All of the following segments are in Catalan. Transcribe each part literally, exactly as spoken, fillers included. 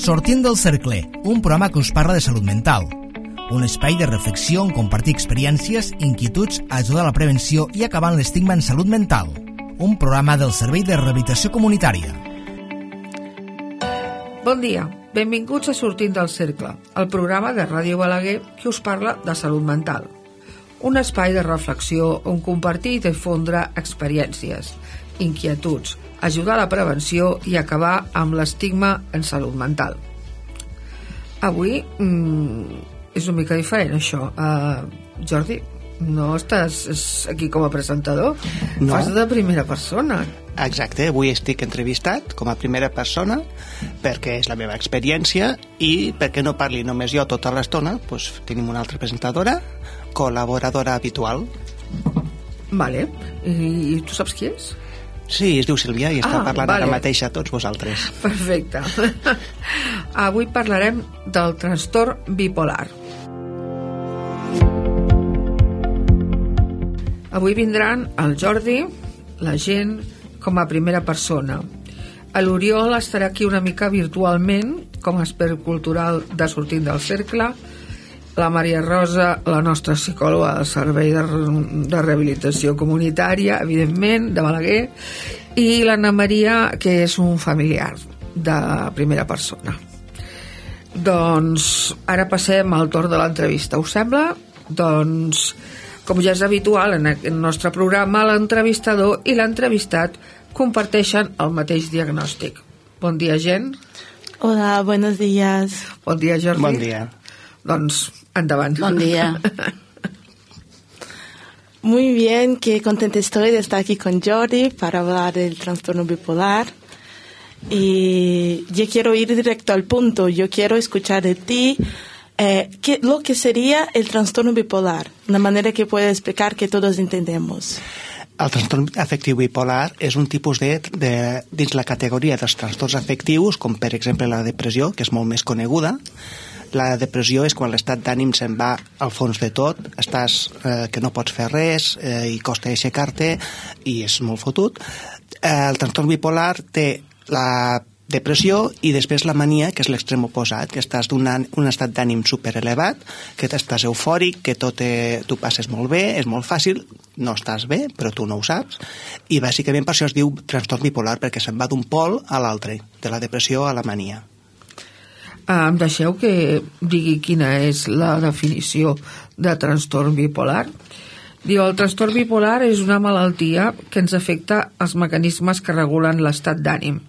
Sortint del cercle, un programa que us parla de salut mental. Un espai de reflexió on compartir experiències, inquietuds, ajudar a la prevenció i acabar amb l'estigma en salut mental. Un programa del Servei de Rehabilitació Comunitària. Bon dia, benvinguts a Sortint del cercle, el programa de Ràdio Balaguer que us parla de salut mental. Un espai de reflexió on compartir i difondre experiències, inquietuds, ajudar a la prevenció i acabar amb l'estigma en salut mental. Avui mmm, és una mica diferent això. Uh, Jordi, no estàs aquí com a presentador? No. Fas de primera persona. Exacte, avui estic entrevistat com a primera persona perquè és la meva experiència i perquè no parli només jo tota l'estona, doncs tenim una altra presentadora, col·laboradora habitual. Vale, i, i tu saps qui és? Sí, es diu Sílvia i està ah, parlant vale. ara mateix a tots vosaltres. Perfecte. Avui parlarem del trastorn bipolar. Avui vindran el Jordi, la gent, com a primera persona. L'Oriol estarà aquí una mica virtualment, com a expert cultural de Sortint del Cercle, la Maria Rosa, la nostra psicòloga del Servei de, de Rehabilitació Comunitària, evidentment, de Balaguer, i l'Anna Maria, que és un familiar de primera persona. Doncs ara passem al torn de l'entrevista. Us sembla? Doncs, com ja és habitual en el nostre programa, l'entrevistador i l'entrevistat comparteixen el mateix diagnòstic. Bon dia, gent. Hola, buenos días. Bon dia, Jordi. Bon dia. Doncs, endavant. Buen día. Muy bien, qué contenta estoy de estar aquí con Jordi para hablar del trastorno bipolar. Y yo quiero ir directo al punto. Yo quiero escuchar de ti eh, qué, lo que sería el trastorno bipolar, una manera que pueda explicar que todos entendemos. El trastorn afectiu bipolar és un tipus de, de, dins la categoria dels trastorns afectius, com per exemple la depressió, que és molt més coneguda. La depressió és quan l'estat d'ànim se'n va al fons de tot, estàs eh, que no pots fer res eh, i costa aixecar-te i és molt fotut. Eh, el trastorn bipolar té la depressió i després la mania, que és l'extrem oposat, que estàs d'un un estat d'ànim superelevat, que estàs eufòric, que tot te, tu passes molt bé, és molt fàcil, no estàs bé, però tu no ho saps, i bàsicament per això es diu trastorn bipolar, perquè se'n va d'un pol a l'altre, de la depressió a la mania. Em deixeu que digui quina és la definició de trastorn bipolar. Diu, el trastorn bipolar és una malaltia que ens afecta els mecanismes que regulen l'estat d'ànim.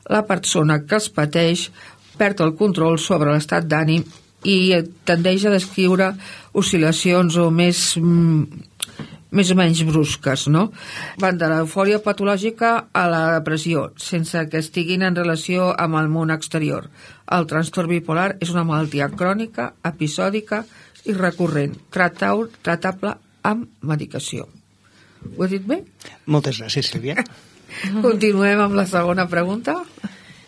La persona que es pateix perd el control sobre l'estat d'ànim i tendeix a descriure oscil·lacions o més, més o menys brusques, no? Van de l'eufòria patològica a la depressió, sense que estiguin en relació amb el món exterior. El trastorn bipolar és una malaltia crònica, episòdica i recurrent, tratable amb medicació. Ho he dit bé? Moltes gràcies, Sílvia. Continuem amb la segona pregunta.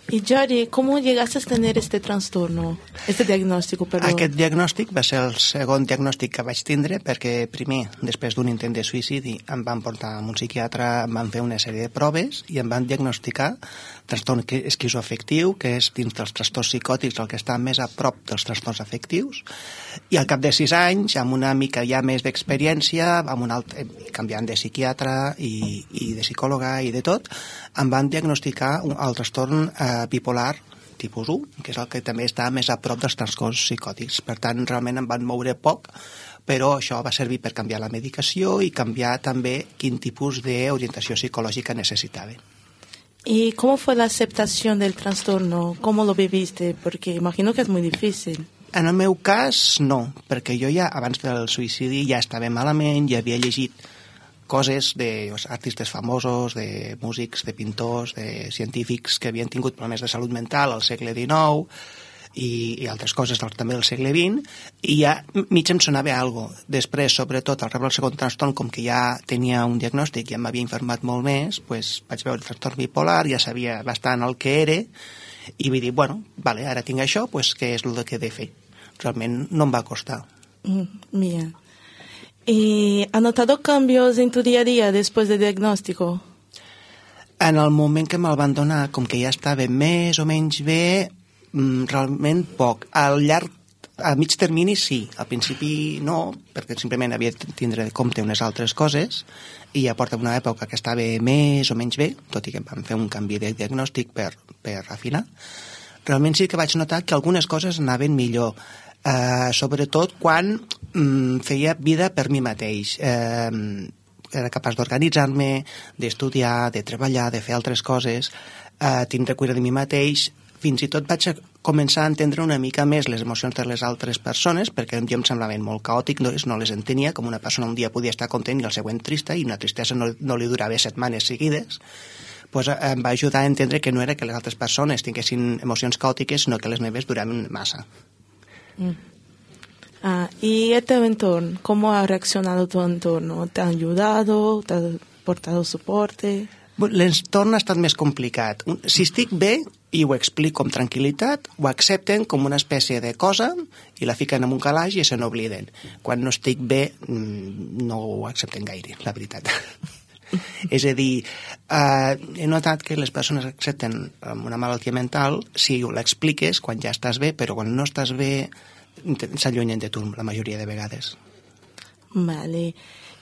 Y Jordi, ¿cómo llegaste a tener este trastorno, este diagnóstico, perdón? Aquest diagnòstic va ser el segon diagnòstic que vaig tindre perquè primer, després d'un intent de suïcidi, em van portar a un psiquiatre, em van fer una sèrie de proves i em van diagnosticar trastorn esquizoafectiu, que és dins dels trastorns psicòtics el que està més a prop dels trastorns afectius, i al cap de sis anys, amb una mica ja més d'experiència, amb un altre, canviant de psiquiatre i, i de psicòloga i de tot, em van diagnosticar el trastorn eh, bipolar tipus u, que és el que també està més a prop dels trastorns psicòtics. Per tant, realment em van moure poc, però això va servir per canviar la medicació i canviar també quin tipus d'orientació psicològica necessitava. ¿Y cómo fue la aceptación del trastorno? ¿Cómo lo viviste? Porque imagino que es muy difícil. En el meu cas, no, perquè jo ja, abans del suïcidi, ja estava malament, ja havia llegit coses d'artistes famosos, de músics, de pintors, de científics que havien tingut problemes de salut mental al segle dinou i, i altres coses del, també del segle vint, i ja mig em sonava alguna cosa. Després, sobretot, al rebre el segon trastorn, com que ja tenia un diagnòstic i ja m'havia informat molt més, pues, vaig veure el trastorn bipolar, ja sabia bastant el que era, i vaig dir, bueno, vale, ara tinc això, pues, què és el que he de fer? Realment no em va costar. Mm, bien. ¿Y has notado cambios en tu día a día después del diagnóstico? En el moment que me'l van donar, com que ja estava més o menys bé, mm, realment poc. Al llarg, a mig termini sí, al principi no, perquè simplement havia de tindre de compte unes altres coses i ja porta una època que estava més o menys bé, tot i que vam fer un canvi de diagnòstic per, per afinar. Realment sí que vaig notar que algunes coses anaven millor, eh, sobretot quan mm, feia vida per mi mateix. Eh, era capaç d'organitzar-me, d'estudiar, de treballar, de fer altres coses, eh, tindre cura de mi mateix. Fins i tot vaig a començar a entendre una mica més les emocions de les altres persones, perquè jo em semblaven molt caòtic, no, no les entenia, com una persona un dia podia estar content i el següent trista, i una tristesa no, no li durava setmanes seguides. Pues, eh, em va ajudar a entendre que no era que les altres persones tinguessin emocions caòtiques, sinó que les meves duraven massa. Mm. Ah, ¿y este entorno? ¿Cómo ha reaccionado tu entorno? ¿Te ha ayudado? ¿Te ha portado soporte? L'entorn ha estat més complicat. Si estic bé i ho explico amb tranquil·litat, ho accepten com una espècie de cosa i la fiquen en un calaix i se n'obliden. Quan no estic bé, no ho accepten gaire, la veritat. És a dir, eh, he notat que les persones accepten una malaltia mental si ho l'expliques quan ja estàs bé, però quan no estàs bé s'allunyen de tu la majoria de vegades. Vale.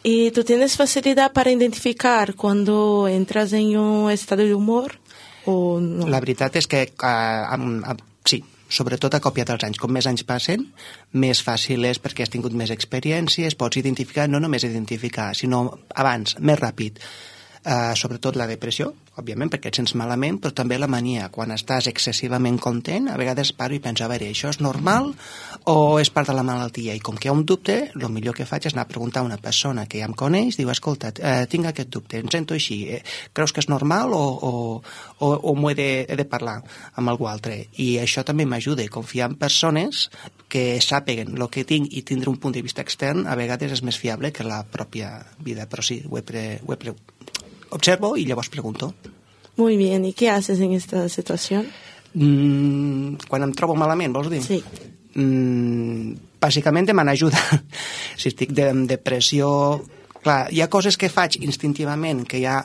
¿Y tú tienes facilidad para identificar cuando entras en un estado de humor o no? La veritat és que uh, um, uh, sí, sobretot a còpia dels anys. Com més anys passen, més fàcil és perquè has tingut més experiències, pots identificar, no només identificar, sinó abans, més ràpid. Uh, sobretot la depressió, òbviament, perquè et sents malament, però també la mania. Quan estàs excessivament content, a vegades paro i penso, a veure, això és normal o és part de la malaltia? I com que hi ha un dubte, el millor que faig és anar a preguntar a una persona que ja em coneix, diu, escolta, eh, tinc aquest dubte, em sento així, eh, creus que és normal o, o, o, o m'ho he de, he de parlar amb algú altre? I això també m'ajuda, confiar en persones que sàpiguen el que tinc i tindre un punt de vista extern, a vegades és més fiable que la pròpia vida, però sí, ho he, pre, ho he pre, observo y llavors pregunto. Muy bien, ¿y qué haces en esta situación? Mm, quan em trobo malament, vols dir? Sí. Mm, bàsicament demana ajuda. Si estic de, en depressió... Clar, hi ha coses que faig instintivament, que ja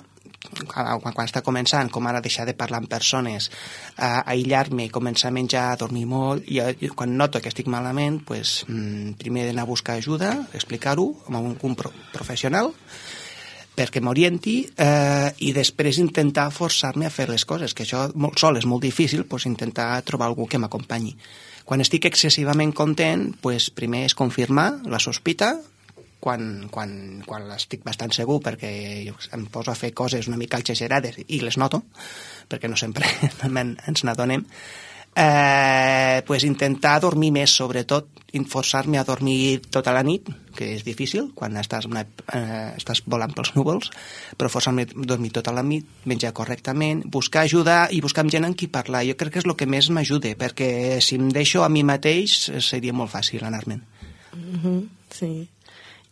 quan, quan està començant, com ara deixar de parlar amb persones, a aïllar-me, començar a menjar, a dormir molt, i, i quan noto que estic malament, pues, mm, primer d'anar a buscar ajuda, explicar-ho amb un, un pro, professional, perquè m'orienti, eh, i després intentar forçar-me a fer les coses, que això molt sol és molt difícil, doncs intentar trobar algú que m'acompanyi. Quan estic excessivament content, doncs primer és confirmar la sospita, quan, quan, quan estic bastant segur, perquè jo em poso a fer coses una mica exagerades i les noto, perquè no sempre ens n'adonem, eh, pues intentar dormir més, sobretot forçar-me a dormir tota la nit, que és difícil quan estàs, una, eh, estàs volant pels núvols, però forçar-me a dormir tota la nit, menjar correctament, buscar ajuda i buscar amb gent amb qui parlar. Jo crec que és el que més m'ajuda, perquè si em deixo a mi mateix seria molt fàcil anar-me'n. Uh-huh, sí.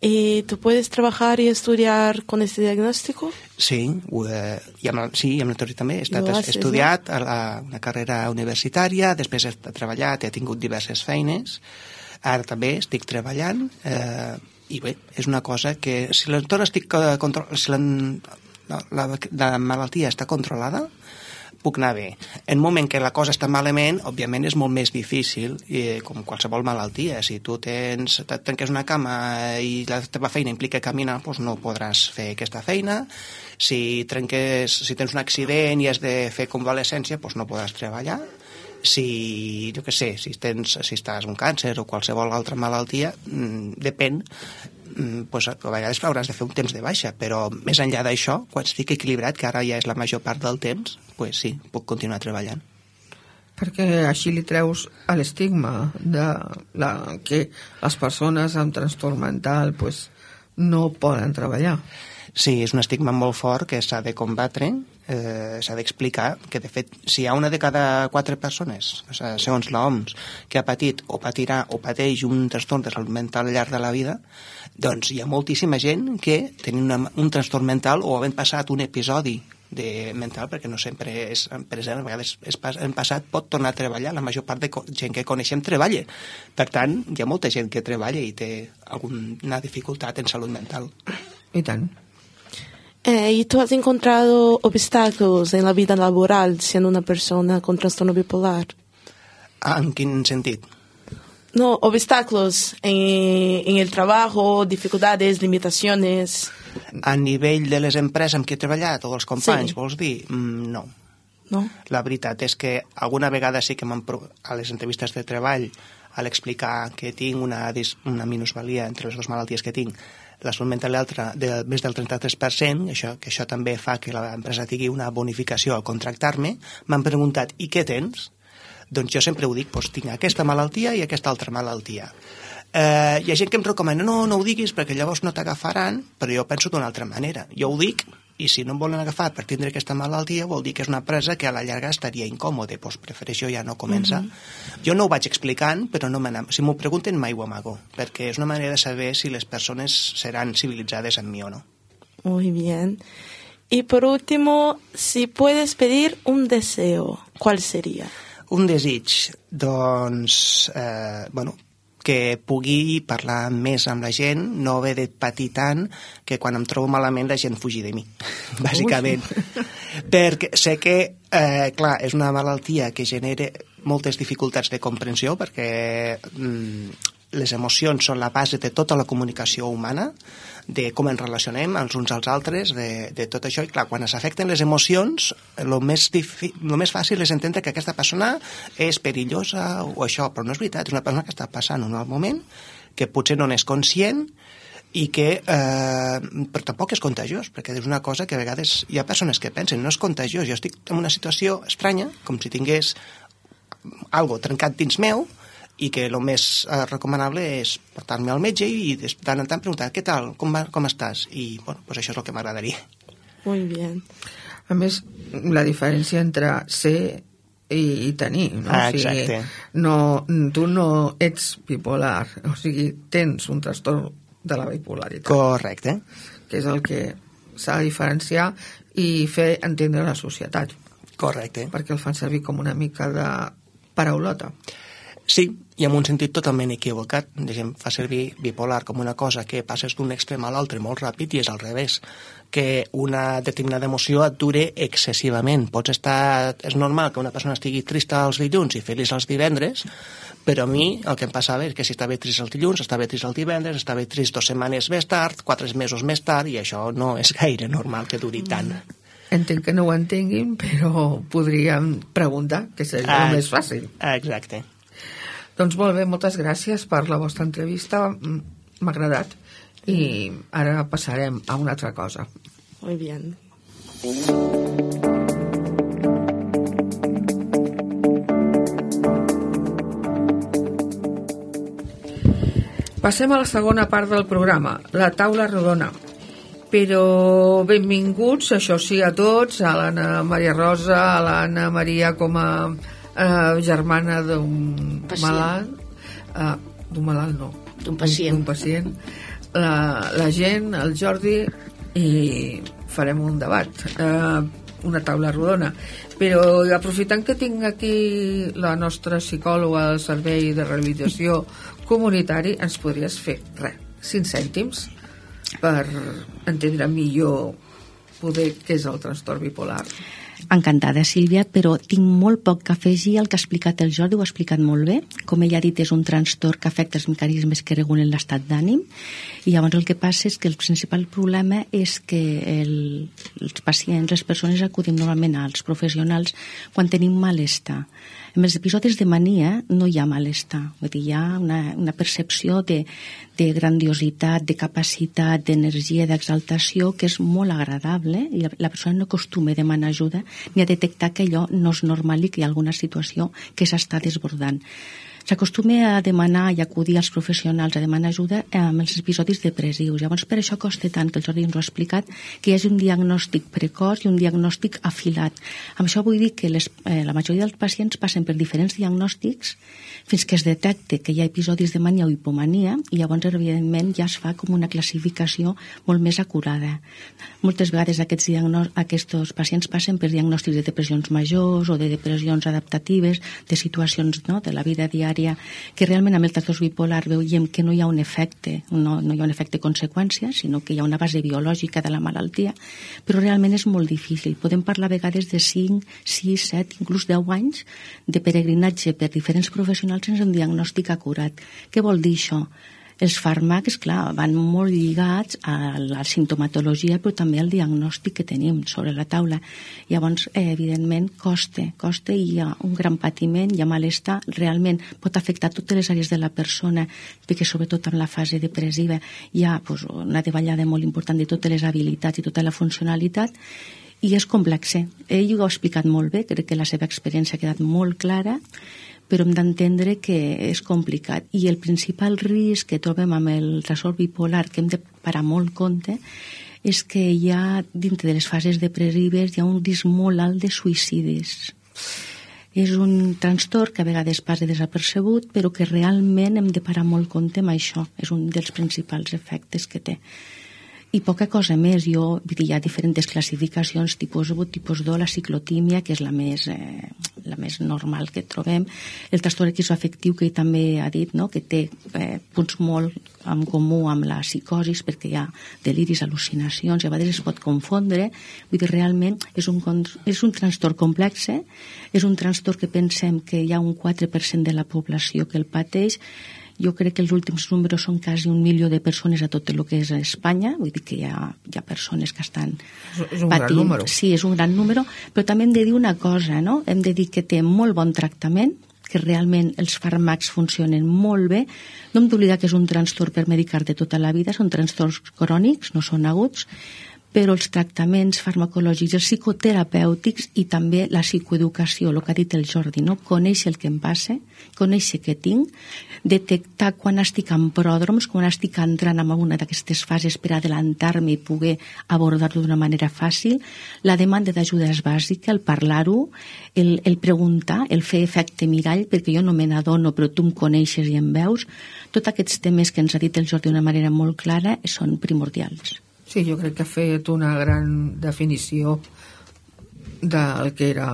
¿Y tú puedes trabajar y estudiar con este diagnóstico? Sí, eh, i amb, sí, amb la teoria també. He estat haces, estudiat no? a la, una carrera universitària, després he treballat, he tingut diverses feines, ara també estic treballant, eh, i bé, és una cosa que si l'entorn estic control, si la, la, la malaltia està controlada, puc anar bé. En un moment que la cosa està malament, òbviament és molt més difícil, i, com qualsevol malaltia. Si tu tens, et tanques una cama i la teva feina implica caminar, doncs no podràs fer aquesta feina. Si, trenques, si tens un accident i has de fer convalescència, doncs no podràs treballar. Si, jo què sé, si, tens, si estàs un càncer o qualsevol altra malaltia, mmm, depèn, mmm, pues, a vegades hauràs de fer un temps de baixa, però més enllà d'això, quan estic equilibrat, que ara ja és la major part del temps, pues sí, puc continuar treballant. Perquè així li treus a l'estigma de la, que les persones amb trastorn mental pues, no poden treballar. Sí, és un estigma molt fort que s'ha de combatre, eh, s'ha d'explicar que, de fet, si hi ha una de cada quatre persones, segons l'O M S, que ha patit o patirà o pateix un trastorn de salut mental al llarg de la vida, doncs hi ha moltíssima gent que tenen una, un trastorn mental o havent passat un episodi de mental, perquè no sempre és present, a vegades és pas, en passat pot tornar a treballar, la major part de gent que coneixem treballa. Per tant, hi ha molta gent que treballa i té alguna dificultat en salut mental. I tant. Eh, ¿Y tú has encontrado obstáculos en la vida laboral siendo una persona con trastorno bipolar? En quin sentit? No, obstáculos en, en el trabajo, dificultades, limitaciones. A nivell de les empreses amb què he treballat o dels companys, Sí. vols dir? Mm, no. No? La veritat és que alguna vegada sí que m'han pro- a les entrevistes de treball, a l'explicar que tinc una, dis- una minusvalia entre les dues malalties que tinc, la salut mental i l'altra de més del trenta-tres per cent, això, que això també fa que l'empresa tingui una bonificació al contractar-me, m'han preguntat, i què tens? Doncs jo sempre ho dic, doncs tinc aquesta malaltia i aquesta altra malaltia. Eh, hi ha gent que em recomana, no, no ho diguis perquè llavors no t'agafaran, però jo penso d'una altra manera. Jo ho dic, i si no em volen agafar per tindre aquesta malaltia vol dir que és una empresa que a la llarga estaria incòmode, doncs prefereixo ja no començar. Uh-huh. Jo no ho vaig explicant, però no si m'ho pregunten mai ho amago, perquè és una manera de saber si les persones seran civilitzades amb mi o no. Muy bien. Y por último, si puedes pedir un deseo, ¿cuál sería? Un desig, doncs, eh, bueno, que pugui parlar més amb la gent, no haver de patir tant que quan em trobo malament la gent fugi de mi, bàsicament. Perquè sé que, eh, clar, és una malaltia que genera moltes dificultats de comprensió perquè mm, les emocions són la base de tota la comunicació humana, de com ens relacionem els uns als altres, de, de tot això. I clar, quan s'afecten les emocions, el més, difi- lo més fàcil és entendre que aquesta persona és perillosa o això, però no és veritat, és una persona que està passant un mal moment, que potser no n'és conscient i que eh, però tampoc és contagiós, perquè és una cosa que a vegades hi ha persones que pensen, no és contagiós, jo estic en una situació estranya, com si tingués algo trencat dins meu, i que el més eh, recomanable és portar-me al metge i de tant en tant preguntar què tal, com, va, com estàs? I bueno, pues això és el que m'agradaria. Muy bien. A més, la diferència entre ser i, i tenir, no? Ah, o sigui, exacte. no, tu no ets bipolar, o sigui, tens un trastorn de la bipolaritat. Correcte. Que és el que s'ha de diferenciar i fer entendre la societat. Correcte. Perquè el fan servir com una mica de paraulota. Sí, i en un sentit totalment equivocat. La gent fa servir bipolar com una cosa que passes d'un extrem a l'altre molt ràpid i és al revés, que una determinada emoció et dure excessivament. Pots estar... És normal que una persona estigui trista els dilluns i feliç els divendres, però a mi el que em passava és que si estava trist els dilluns, estava trist el divendres, estava trist dues setmanes més tard, quatre mesos més tard, i això no és gaire normal que duri tant. Entenc que no ho entenguin, però podríem preguntar, que seria ah, el més fàcil. Exacte. Doncs molt bé, moltes gràcies per la vostra entrevista, m'ha agradat, i ara passarem a una altra cosa. Muy bien. Passem a la segona part del programa, la taula rodona. Però benvinguts, això sí, a tots, a l'Anna Maria Rosa, a l'Anna Maria com a Uh, germana d'un malalt, uh, d'un malalt no, d'un pacient, d'un pacient. La, la gent, el Jordi, i farem un debat, uh, una taula rodona. Però aprofitant que tinc aquí la nostra psicòloga del Servei de Rehabilitació Comunitari, ens podries fer res, cinc cèntims per entendre millor poder què és el trastorn bipolar. Encantada, Sílvia, però tinc molt poc que afegir al que ha explicat el Jordi, ho ha explicat molt bé. Com ella ha dit, és un trastorn que afecta els mecanismes que regulen l'estat d'ànim, i llavors el que passa és que el principal problema és que el, els pacients, les persones acudim normalment als professionals quan tenim malestar. En els episodis de mania no hi ha malestar, vull dir, hi ha una, una percepció de, de grandiositat, de capacitat, d'energia, d'exaltació, que és molt agradable, i la, la persona no acostuma a demanar ajuda ni a detectar que allò no és normal i que hi ha alguna situació que s'està desbordant. S'acostuma a demanar i acudir als professionals a demanar ajuda amb els episodis depressius. Llavors, per això costa tant, que el Jordi ens ho ha explicat, que hi hagi un diagnòstic precoç i un diagnòstic afilat. Amb això vull dir que les, eh, la majoria dels pacients passen per diferents diagnòstics fins que es detecte que hi ha episodis de mania o hipomania, i llavors, evidentment, ja es fa com una classificació molt més acurada. Moltes vegades aquests, diagnò- aquests pacients passen per diagnòstics de depressions majors o de depressions adaptatives, de situacions, no?, de la vida diària primària, que realment amb el trastorn bipolar veiem que no hi ha un efecte, no, no hi ha un efecte conseqüència, sinó que hi ha una base biològica de la malaltia, però realment és molt difícil. Podem parlar a vegades de cinc, sis, set, inclús deu anys de peregrinatge per diferents professionals sense un diagnòstic acurat. Què vol dir això? Els fàrmacs, clar, van molt lligats a la simptomatologia, però també al diagnòstic que tenim sobre la taula. Llavors, eh, evidentment, costa, costa i hi ha un gran patiment, hi ha malestar, realment pot afectar totes les àrees de la persona, perquè sobretot en la fase depressiva hi ha pues, una davallada molt important de totes les habilitats i tota la funcionalitat, i és complex. Ell ho ha explicat molt bé, crec que la seva experiència ha quedat molt clara, però hem d'entendre que és complicat. I el principal risc que trobem amb el trastorn bipolar, que hem de parar molt compte, és que hi ha, dintre de les fases depressives, hi ha un risc molt alt de suïcidis. És un trastorn que a vegades passa desapercebut, però que realment hem de parar molt compte amb això. És un dels principals efectes que té. I poca cosa més. Jo, hi ha diferents classificacions, tipus u, tipus dos, la ciclotímia, que és la més, eh, la més normal que trobem. El trastorn esquizoafectiu, que ell també ha dit, no?, que té eh, punts molt en comú amb la psicosis, perquè hi ha deliris, al·lucinacions, i a vegades es pot confondre. Vull dir, realment és un, és un trastorn complex, eh? És un trastorn que pensem que hi ha un quatre per cent de la població que el pateix. Jo crec que els últims números són quasi un milió de persones a tot el que és Espanya, vull dir que hi ha, hi ha persones que estan és un patint. Gran número. Sí, és un gran número, però també hem de dir una cosa, no? Hem de dir que té molt bon tractament, que realment els fàrmacs funcionen molt bé. No hem d'oblidar que és un trastorn per medicar-te tota la vida, són trastorns crònics, no són aguts, però els tractaments farmacològics, els psicoterapèutics i també la psicoeducació, el que ha dit el Jordi, no? Conèixer el que em passa, conèixer què tinc, detectar quan estic en pròdroms, quan estic entrant en una d'aquestes fases per adelantar-me i poder abordar-lo d'una manera fàcil, la demanda d'ajuda és bàsica, el parlar-ho, el, el preguntar, el fer efecte mirall, perquè jo no me n'adono, però tu em coneixes i em veus. Tots aquests temes que ens ha dit el Jordi d'una manera molt clara són primordials. Sí, jo crec que ha fet una gran definició del que era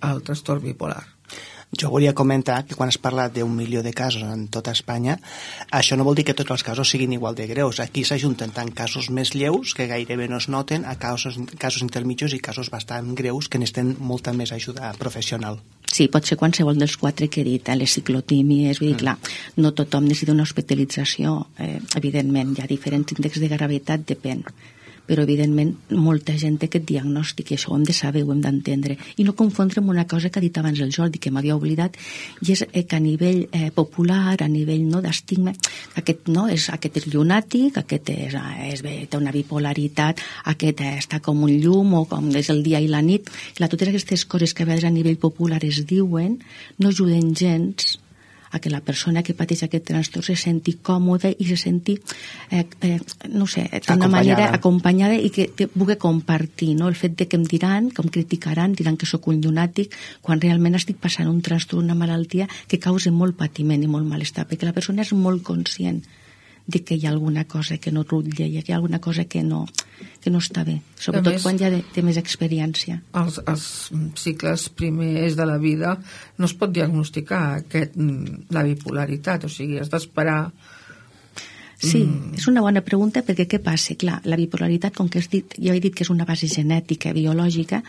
el trastorn bipolar. Jo volia comentar que quan es parla d'un milió de casos en tota Espanya, això no vol dir que tots els casos siguin igual de greus. Aquí s'ajunten tant casos més lleus, que gairebé no es noten, a casos, casos intermitjos i casos bastant greus que necessiten molta més ajuda professional. Sí, pot ser qualsevol dels quatre que he dit, eh? Les ciclotímies, vull dir, clar, no tothom necessita una hospitalització, eh, evidentment, hi ha diferents índexs de gravetat, depèn, però evidentment molta gent té aquest diagnòstic i això ho hem de saber, ho hem d'entendre, i no confondre amb una cosa que ha dit abans el Jordi, que m'havia oblidat, i és eh, que a nivell eh, popular, a nivell no, d'estigma, aquest, no, és, aquest és llunàtic, aquest és, és, té una bipolaritat, aquest eh, està com un llum o com és el dia i la nit. Clar, totes aquestes coses que a vegades a nivell popular es diuen no ajuden gens a que la persona que pateix aquest trastorn se senti còmode i se senti, eh, eh, no sé, d'una manera acompanyada i que, que pugui compartir, no? El fet de que em diran, que em criticaran, diran que sóc un llunàtic, quan realment estic passant un trastorn, una malaltia que causa molt patiment i molt malestar, perquè la persona és molt conscient de que hi ha alguna cosa que no rutlla, hi ha alguna cosa que no, que no està bé, sobretot més, quan ja té més experiència. Els, els cicles primers de la vida no es pot diagnosticar aquest, la bipolaritat, o sigui, has d'esperar. Sí, mm. és una bona pregunta, perquè què passa? Clar, la bipolaritat, com que has dit, jo he dit que és una base genètica, biològica,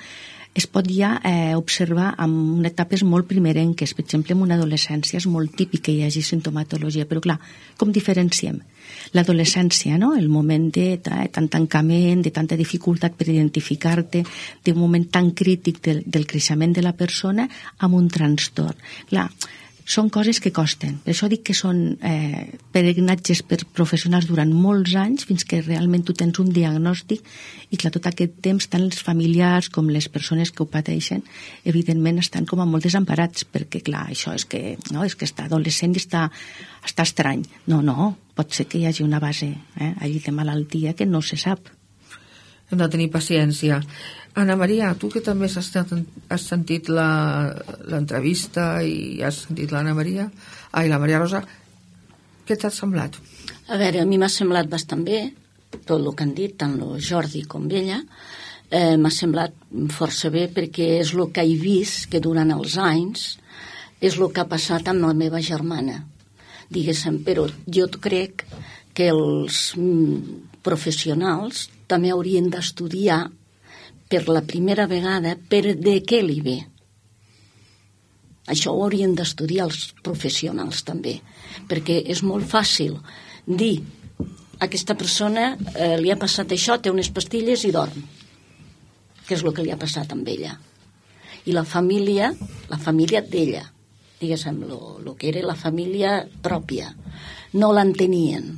es pot ja eh, observar en etapes molt primerenques. Per exemple, en una adolescència és molt típic que hi hagi sintomatologia, però clar, com diferenciem? L'adolescència, no? El moment de tant tancament, de tanta dificultat per identificar-te, d'un moment tan crític del, del creixement de la persona amb un trastorn. Clar, són coses que costen. Per això dic que són eh, peregrinatges per professionals durant molts anys fins que realment tu tens un diagnòstic i clar, tot aquest temps tant els familiars com les persones que ho pateixen evidentment estan com a molt desemparats perquè clar, això és que, no, és que està adolescent i està, està estrany. No, no, pot ser que hi hagi una base eh, allí de malaltia que no se sap. Hem de tenir paciència. Ana Maria, tu que també has, estat, has sentit l'entrevista i has sentit l'Anna Maria, ai, la Maria Rosa, què t'ha semblat? A veure, a mi m'ha semblat bastant bé, tot el que han dit, tant el Jordi com ella, eh, m'ha semblat força bé perquè és el que he vist que durant els anys és el que ha passat amb la meva germana, diguéssim, però jo crec que els professionals també haurien d'estudiar per la primera vegada per de què li ve. Això ho haurien d'estudiar els professionals també, perquè és molt fàcil dir a aquesta persona eh, li ha passat això, té unes pastilles i dorm, que és el que li ha passat amb ella. I la família, la família d'ella, diguéssim, el que era la família pròpia, no l'entenien.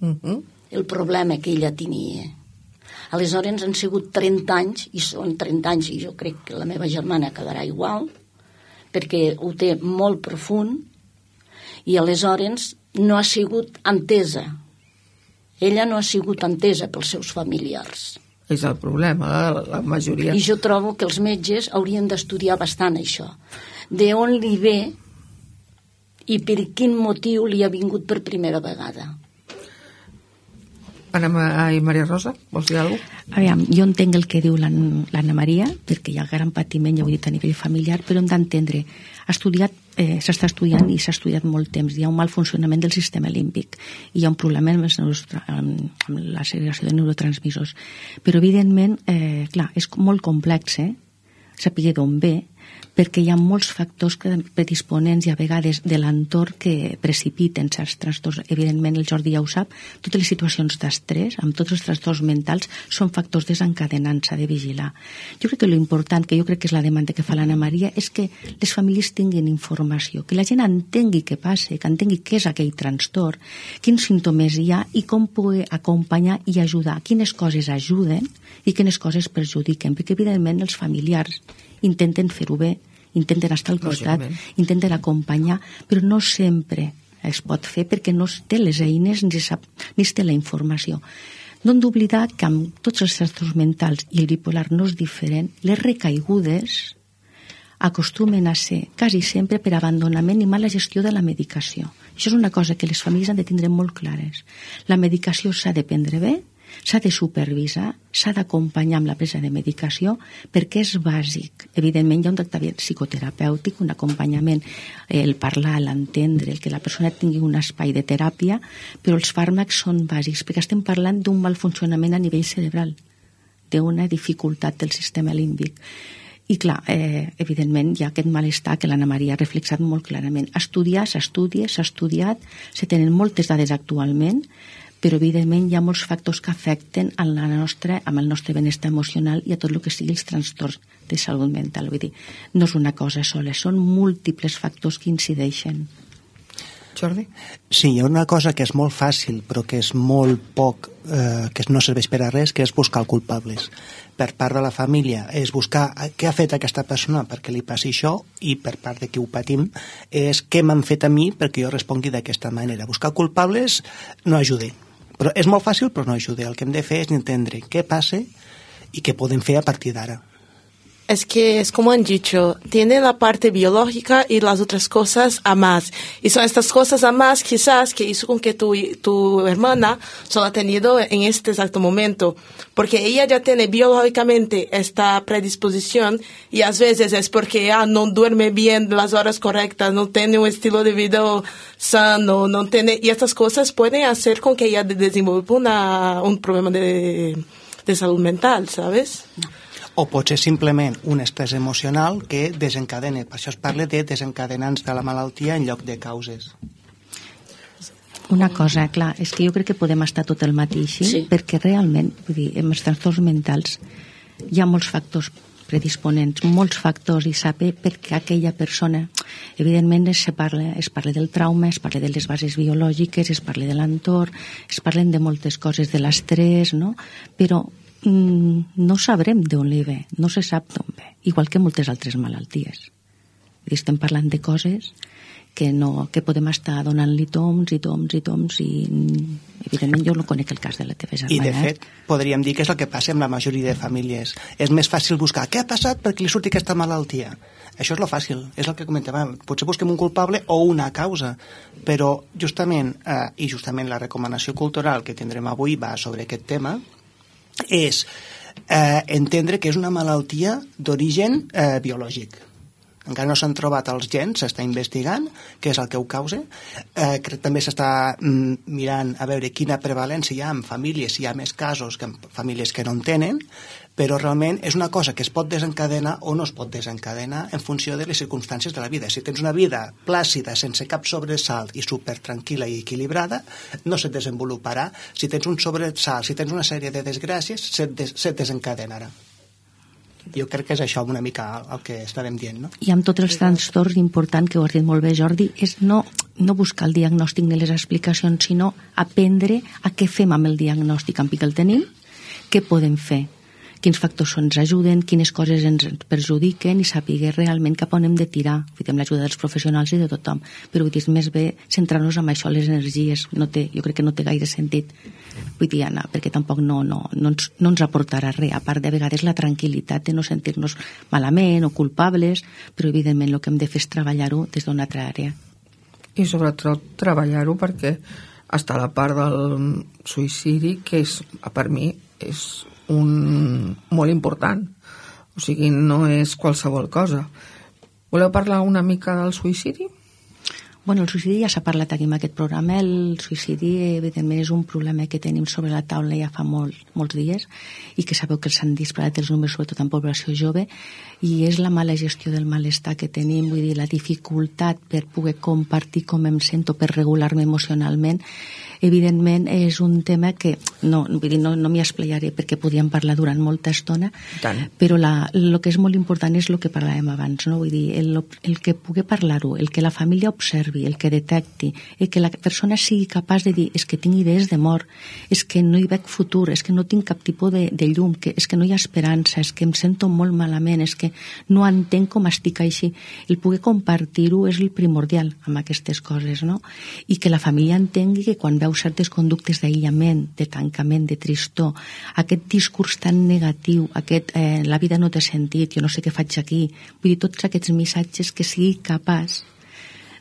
Uh-huh. El problema que ella tenia. Aleshores han sigut trenta anys, i són trenta anys, i jo crec que la meva germana quedarà igual, perquè ho té molt profund, i aleshores no ha sigut entesa. Ella no ha sigut entesa pels seus familiars. És el problema, la, la majoria. I jo trobo que els metges haurien d'estudiar bastant això. De on li ve i per quin motiu li ha vingut per primera vegada. Anna i Maria Rosa, vols dir alguna cosa? Aviam, jo entenc el que diu l'Anna Maria, perquè hi ha gran patiment, ja ho he dit, a nivell familiar, però hem d'entendre, ha estudiat, eh, s'està estudiant i s'ha estudiat molt temps, hi ha un mal funcionament del sistema límbic, i hi ha un problema amb, els, amb, amb la segregació de neurotransmissors. Però, evidentment, eh, clar, és molt complex, eh? Saber d'on ve, perquè hi ha molts factors predisponents i a vegades de l'entorn que precipiten certs trastorns. Evidentment, el Jordi ja ho sap, totes les situacions d'estrès, amb tots els trastorns mentals, són factors desencadenants, s'ha de vigilar. Jo crec que l'important, que jo crec que és la demanda que fa l'Anna Maria, és que les famílies tinguin informació, que la gent entengui què passa, que entengui què és aquell trastorn, quins símptomes hi ha i com poder acompanyar i ajudar, quines coses ajuden i quines coses perjudiquen, perquè evidentment els familiars intenten fer-ho bé, intenten estar al costat, intenten acompanyar, però no sempre es pot fer perquè no es té les eines ni, sap, ni es té la informació. No hem d'oblidar que amb tots els trastorns mentals i el bipolar no és diferent, les recaigudes acostumen a ser quasi sempre per abandonament i mala gestió de la medicació. Això és una cosa que les famílies han de tindre molt clares. La medicació s'ha de prendre bé, s'ha de supervisar, s'ha d'acompanyar amb la presa de medicació perquè és bàsic. Evidentment hi ha un tractament psicoterapèutic, un acompanyament, el parlar, l'entendre, el que la persona tingui un espai de teràpia, però els fàrmacs són bàsics perquè estem parlant d'un mal funcionament a nivell cerebral, d'una dificultat del sistema límbic. I clar, eh, evidentment hi ha aquest malestar que l'Anna Maria ha reflexat molt clarament. Estudiar, s'estudia, s'ha estudiat, se tenen moltes dades actualment, però evidentment hi ha molts factors que afecten en la nostra, amb el nostre benestar emocional i a tot el que sigui els trastorns de salut mental. Vull dir, no és una cosa sola, són múltiples factors que incideixen. Jordi? Sí, hi ha una cosa que és molt fàcil però que és molt poc, eh, que no serveix per a res, que és buscar culpables. Per part de la família és buscar què ha fet aquesta persona perquè li passi això, i per part de qui ho patim és què m'han fet a mi perquè jo respongui d'aquesta manera. Buscar culpables no ajuda. Però és molt fàcil, però no ajuda. El que hem de fer és entendre què passa i què podem fer a partir d'ara. Es que es como han dicho, tiene la parte biológica y las otras cosas a más. Y son estas cosas a más quizás que hizo con que tu, tu hermana solo ha tenido en este exacto momento. Porque ella ya tiene biológicamente esta predisposición y a veces es porque ah, no duerme bien las horas correctas, no tiene un estilo de vida sano, no tiene... Y estas cosas pueden hacer con que ella desenvolva una, un problema de, de salud mental, ¿sabes? No. O pot ser simplement un estrès emocional que desencadena. Per això es parla de desencadenants de la malaltia en lloc de causes. Una cosa, clar, és que jo crec que podem estar tot el matí així, sí. Perquè realment, vull dir, amb els trastorns mentals hi ha molts factors predisponents, molts factors, i saber per què aquella persona, evidentment es parla, es parla del trauma, es parla de les bases biològiques, es parla de l'entorn, es parlen de moltes coses, de l'estrès, no? Però no sabrem d'on li ve, no se sap d'on ve, igual que moltes altres malalties. I estem parlant de coses que, no, que podem estar donant-li toms i toms i toms i evidentment jo no conec el cas de la teva germana. I de fet podríem dir que és el que passa amb la majoria de famílies. És més fàcil buscar què ha passat perquè li surti aquesta malaltia. Això és lo fàcil, és el que comentàvem. Potser busquem un culpable o una causa, però justament, eh, i justament la recomanació cultural que tindrem avui va sobre aquest tema, és eh, entendre que és una malaltia d'origen eh, biològic. encara no s'han trobat els gens, s'està investigant què és el que ho causa. Eh, també s'està mm, mirant a veure quina prevalència hi ha en famílies, si hi ha més casos que en famílies que no en tenen, però realment és una cosa que es pot desencadenar o no es pot desencadenar en funció de les circumstàncies de la vida. Si tens una vida plàcida, sense cap sobresalt i super tranquil·la i equilibrada, no se't desenvoluparà. Si tens un sobresalt, si tens una sèrie de desgràcies, se't, des, se't desencadenarà. Jo crec que és això una mica el que estàvem dient, no? I amb tots els trastorns, important, que ho has dit molt bé, Jordi, és no, no buscar el diagnòstic ni les explicacions, sinó aprendre a què fem amb el diagnòstic, amb què el tenim, què podem fer, quins factors ens ajuden, quines coses ens perjudiquen i saber realment cap on hem de tirar, amb l'ajuda dels professionals i de tothom. Però vull dir, és més bé centrar-nos en això, les energies. No té, jo crec que no té gaire sentit, vull dir, Anna, perquè tampoc no, no, no, ens, no ens aportarà res, a part de vegades la tranquil·litat de no sentir-nos malament o culpables, però evidentment el que hem de fer és treballar-ho des d'una altra àrea. I sobretot treballar-ho perquè està la part del suïcidi, que és, per mi és un molt important, o sigui, no és qualsevol cosa. Voleu parlar una mica del suïcidi? Bueno, el suïcidi ja s'ha parlat aquí en aquest programa. El suïcidi, evidentment, és un problema que tenim sobre la taula ja fa molt, molts dies i que sabeu que s'han disparat els números, sobretot en població jove, i és la mala gestió del malestar que tenim, vull dir, la dificultat per poder compartir com em sento, per regular-me emocionalment. Evidentment, és un tema que no, vull dir, no, no m'hi esplayaré perquè podíem parlar durant molta estona, Tant. però la, el que és molt important és el que parlàvem abans, no? Vull dir, el, el que pugui parlar-ho, el que la família observi, el que detecti, el que la persona sigui capaç de dir és que tinc idees de mort, és que no hi veig futur, és que no tinc cap tipus de, de llum, que és que no hi ha esperança, és que em sento molt malament, és que no entenc com estic així. El poder compartir-ho és el primordial amb aquestes coses, no? I que la família entengui que quan veu certes conductes d'aïllament, de tancament, de tristor, aquest discurs tan negatiu, aquest eh, la vida no té sentit, jo no sé què faig aquí, vull dir, tots aquests missatges que sigui capaç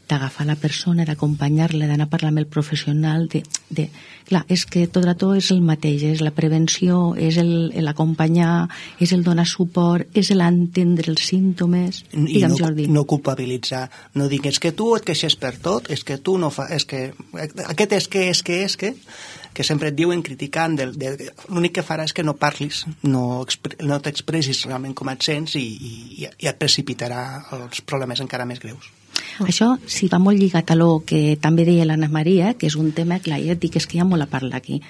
d'agafar la persona, d'acompanyar-la, d'anar a parlar amb el professional, de, de... Clar, és que tot a tot és el mateix, és la prevenció, és l'acompanyar, és el donar suport, és l'entendre els símptomes. I Digue'm, no, Jordi. no culpabilitzar, no dir és que tu et queixes per tot, és que tu no fa... És que... Aquest és que, és que, és que... que sempre et diuen criticant, de, de, l'únic que farà és que no parlis, no, no t'expressis realment com et sents i, i, i et precipitarà els problemes encara més greus. Això sí va molt lligat a lo que també deia l'Anna Maria, que és un tema, clar, ja et dic, és que hi ha molt a parlar aquí.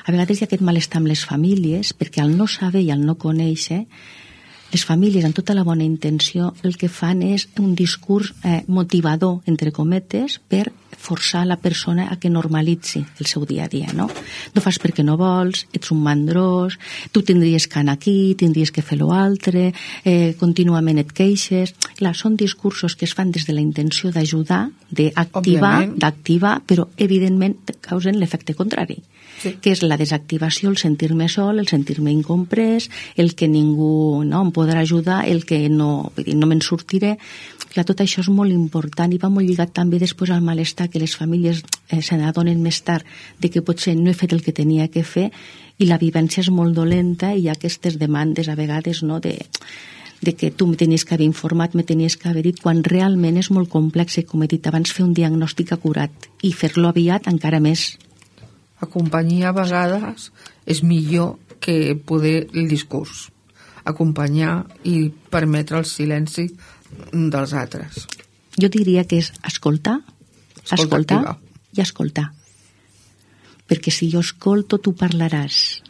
A vegades hi ha aquest malestar amb les famílies, perquè al no saber i al no conèixer, les famílies, amb tota la bona intenció, el que fan és un discurs eh, motivador, entre cometes, per forçar la persona a que normalitzi el seu dia a dia, no? No fas perquè no vols, ets un mandrós, tu tindries que anar aquí, tindries que fer l'altre, eh, contínuament et queixes... Clar, són discursos que es fan des de la intenció d'ajudar, d'activar, d'activar, però evidentment causen l'efecte contrari, sí. Que és la desactivació, el sentir-me sol, el sentir-me incomprès, el que ningú no, em podrà ajudar, el que no, vull dir, no me'n sortiré. Clar, tot això és molt important i va molt lligat també després al malestar que les famílies eh, se n'adonen més tard de que potser no he fet el que tenia que fer i la vivència és molt dolenta i hi ha aquestes demandes a vegades, no, de, de que tu me tenies que haver informat, me tenies que haver dit, quan realment és molt complex i, com he dit abans, fer un diagnòstic acurat i fer-lo aviat encara més. Acompanyar a vegades és millor que poder el discurs. Acompanyar i permetre el silenci dels altres. Jo diria que és escoltar, escoltar i escoltar. Perquè si jo escolto, tu parlaràs.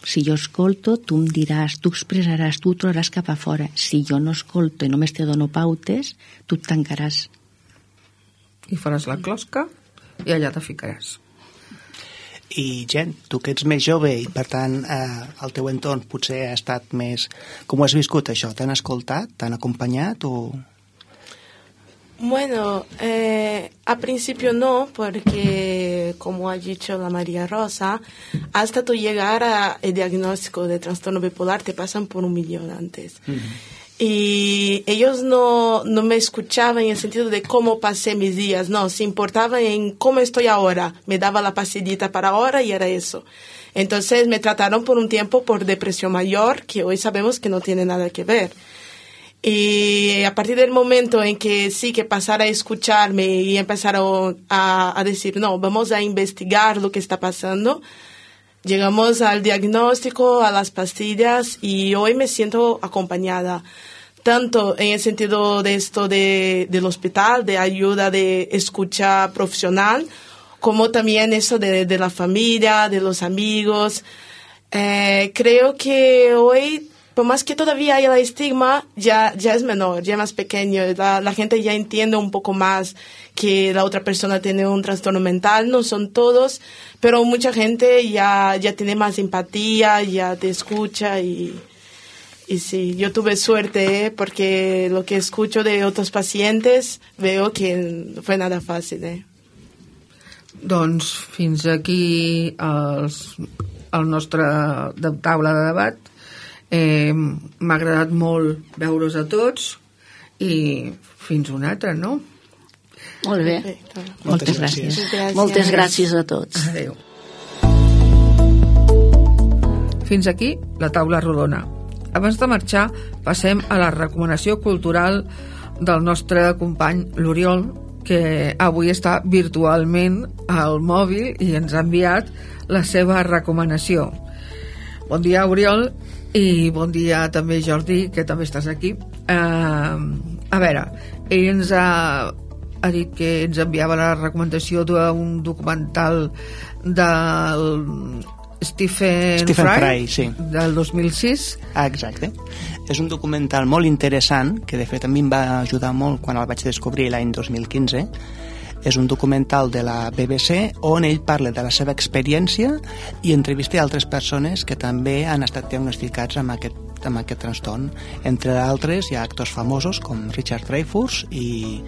Si jo escolto, tu em diràs, tu expressaràs, tu ho trobaràs cap a fora. Si jo no escolto i només te dono pautes, tu et tancaràs. I faràs la closca i allà te ficaràs. I gent, tu que ets més jove i per tant eh, el teu entorn potser ha estat més... Com ho has viscut això? T'han escoltat? T'han acompanyat o...? Bueno, eh, a principio no, porque como ha dicho la María Rosa, hasta tú llegar al diagnóstico de trastorno bipolar te pasan por un millón antes. Uh-huh. Y ellos no, no me escuchaban en el sentido de cómo pasé mis días, no, se importaban en cómo estoy ahora, me daba la pastillita para ahora y era eso. Entonces me trataron por un tiempo por depresión mayor, que hoy sabemos que no tiene nada que ver. Y a partir del momento en que sí, que pasar a escucharme y empezaron a, a decir, no, vamos a investigar lo que está pasando, llegamos al diagnóstico, a las pastillas, y hoy me siento acompañada, tanto en el sentido de esto de, del hospital, de ayuda de escucha profesional, como también eso de, de la familia, de los amigos. Eh, creo que hoy, por más que todavía haya el estigma, ya, ya es menor, ya es más pequeño. La, la gente ya entiende un poco más que la otra persona tiene un trastorno mental. No son todos, pero mucha gente ya, ya tiene más empatía, ya te escucha. Y, y sí, yo tuve suerte, ¿eh? Porque lo que escucho de otros pacientes veo que no fue nada fácil. ¿eh? Doncs fins aquí els, el nostre de taula de debat. Eh, m'ha agradat molt veure's a tots i fins una altra, no? Molt bé. Moltes, Moltes gràcies. gràcies. Moltes gràcies a tots. Adéu. Fins aquí la taula rodona. Abans de marxar, passem a la recomanació cultural del nostre company l'Oriol, que avui està virtualment al mòbil i ens ha enviat la seva recomanació. Bon dia, Oriol, i bon dia també, Jordi, que també estàs aquí. Uh, a veure, ell ens ha, ha dit que ens enviava la recomanació d'un documental del Stephen, Stephen Fry, Fry, sí. del dos mil sis. Ah, exacte. És un documental molt interessant, que de fet a mi em va ajudar molt quan el vaig descobrir l'any dos mil quinze. És un documental de la B B C on ell parla de la seva experiència i entrevista altres persones que també han estat diagnosticats amb aquest, amb aquest trastorn. Entre altres hi ha actors famosos com Richard Dreyfuss i,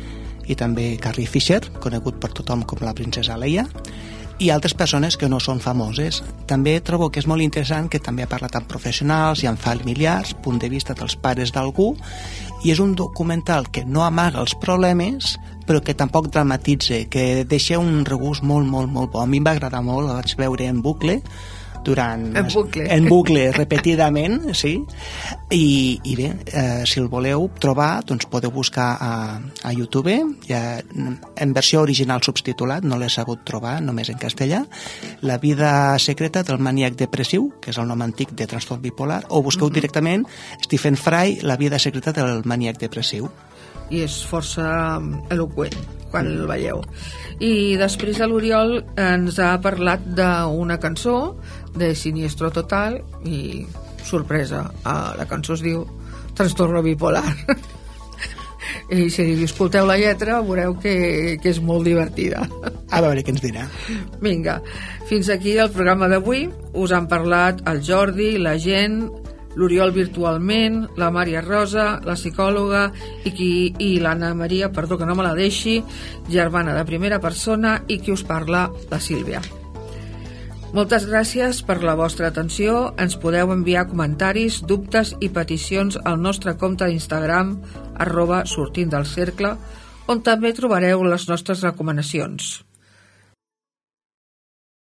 i també Carrie Fisher, conegut per tothom com la princesa Leia, i altres persones que no són famoses. També trobo que és molt interessant que també ha parlat amb professionals i amb familiars, punt de vista dels pares d'algú, i és un documental que no amaga els problemes però que tampoc dramatitza, que deixa un regust molt, molt, molt bo. A mi em va agradar molt, el vaig veure en bucle durant... En bucle. En bucle, repetidament, sí. I, i bé, eh, si el voleu trobar, doncs podeu buscar a, a YouTube, ja, en versió original subtitulat, no l'he sabut trobar, només en castellà, La vida secreta del maníac depressiu, que és el nom antic de trastorn bipolar, o busqueu mm-hmm. directament Stephen Fry, La vida secreta del maníac depressiu. I és força eloqüent quan el veieu. I després l'Oriol ens ha parlat d'una cançó de Siniestro Total i, sorpresa, la cançó es diu Trastorno bipolar. I si escolteu la lletra veureu que, que és molt divertida. A veure què ens dirà. Vinga, fins aquí el programa d'avui. Us han parlat el Jordi, la Gent, l'Oriol virtualment, la Maria Rosa, la psicòloga i, qui, i l'Anna Maria, perdó que no me la deixi, germana de primera persona, i qui us parla, la Sílvia. Moltes gràcies per la vostra atenció. Ens podeu enviar comentaris, dubtes i peticions al nostre compte d'Instagram arroba sortint del cercle, on també trobareu les nostres recomanacions.